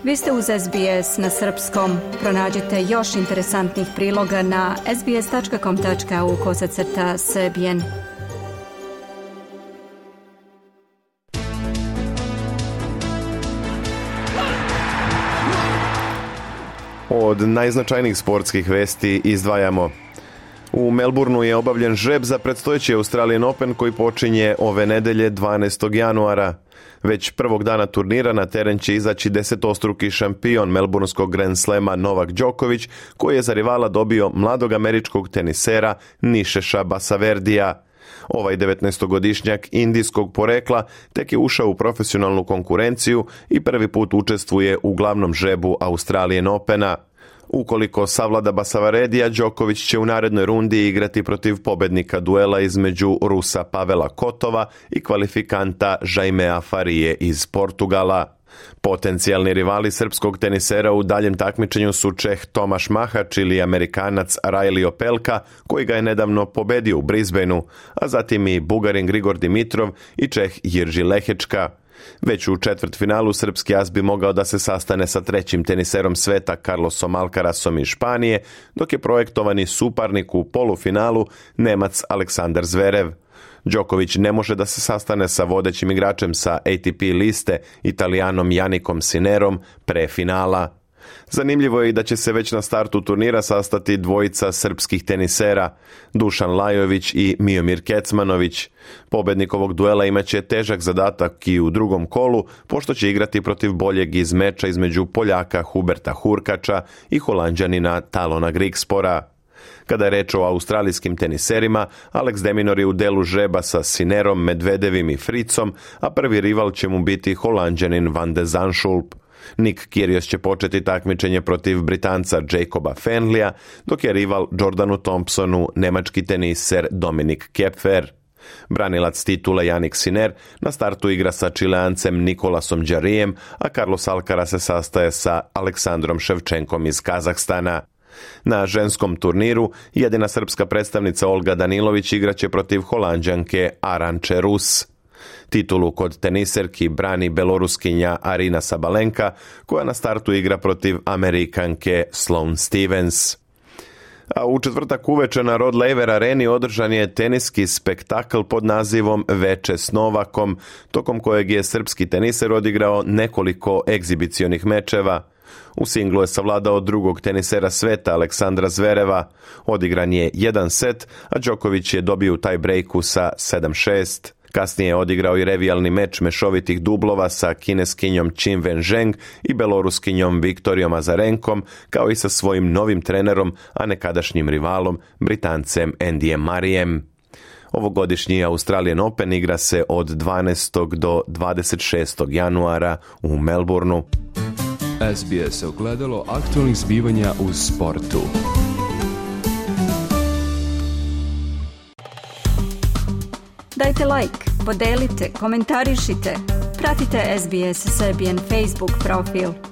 Vi ste uz SBS na srpskom. Pronađite još interesantnih priloga na sbs.com.au/srbijen. Od najznačajnijih sportskih vesti izdvajamo: u Melbourneu je obavljen žreb za predstojeći Australian Open koji počinje ove nedelje 12. januara. Već prvog dana turnira na teren će izaći 10-struki šampion melburnskog Grand Slama Novak Đoković, koji je za rivala dobio mladog američkog tenisera Nišeša Basaverdija. Ovaj 19-godišnjak indijskog porekla tek je ušao u profesionalnu konkurenciju i prvi put učestvuje u glavnom žrebu Australian Opena. Ukoliko savlada Basavaredija, Đoković će u narednoj rundi igrati protiv pobednika duela između Rusa Pavela Kotova i kvalifikanta Jaimea Farije iz Portugala. Potencijalni rivali srpskog tenisera u daljem takmičenju su Čeh Tomaš Mahač ili Amerikanac Riley Opelka, koji ga je nedavno pobedio u Brisbaneu, a zatim i Bugarin Grigor Dimitrov i Čeh Jirži Lehečka. Već u četvrtfinalu srpski as bi mogao da se sastane sa trećim teniserom sveta Carlosom Alcarasom iz Španije, dok je projektovani suparnik u polufinalu Nemac Aleksandar Zverev. Đoković ne može da se sastane sa vodećim igračem sa ATP liste, Italijanom Janikom Sinerom, pre finala. Zanimljivo je i da će se već na startu turnira sastati dvojica srpskih tenisera, Dušan Lajović i Miomir Kecmanović. Pobednik ovog duela imaće težak zadatak i u drugom kolu, pošto će igrati protiv boljeg iz meča između Poljaka Huberta Hurkača i Holanđanina Talona Grigspora. Kada je reč o australijskim teniserima, Alex de Minaur je u delu žreba sa Sinerom, Medvedevim i Fritzom, a prvi rival će mu biti Holanđanin Van de Zandschulp. Nick Kyrgios će početi takmičenje protiv Britanca Jacoba Fenleya, dok je rival Jordanu Thompsonu nemački teniser Dominik Kepfer. Branilac titule Jannik Sinner na startu igra sa Čileancem Nikolasom Đarijem, a Carlos Alcaraz se sastaje sa Aleksandrom Ševčenkom iz Kazahstana. Na ženskom turniru jedina srpska predstavnica Olga Danilović igraće protiv Holanđanke Aranče Rus. Titulu kod teniserki brani Beloruskinja Arina Sabalenka, koja na startu igra protiv Amerikanke Sloane Stevens. A u četvrtak uveče na Rod Laver areni održan je teniski spektakl pod nazivom Veče s Novakom, tokom kojeg je srpski teniser odigrao nekoliko egzibicionih mečeva. U singlu je savladao drugog tenisera sveta Aleksandra Zvereva. Odigran je jedan set, a Đoković je dobio u taj breaku sa 7-6. Kasnije je odigrao i revijalni meč mešovitih dublova sa kineskinjom Qin Wenzheng i beloruskinjom Viktorijom Azarenkom, kao i sa svojim novim trenerom, a nekadašnjim rivalom, Britancem Andyjem Murrayem. Ovogodišnji Australian Open igra se od 12. do 26. januara u Melbourneu. SBS ogledalo aktualnih zbivanja u sportu. Dajte like, podelite, komentarišite. Pratite SBS Serbian Facebook profil.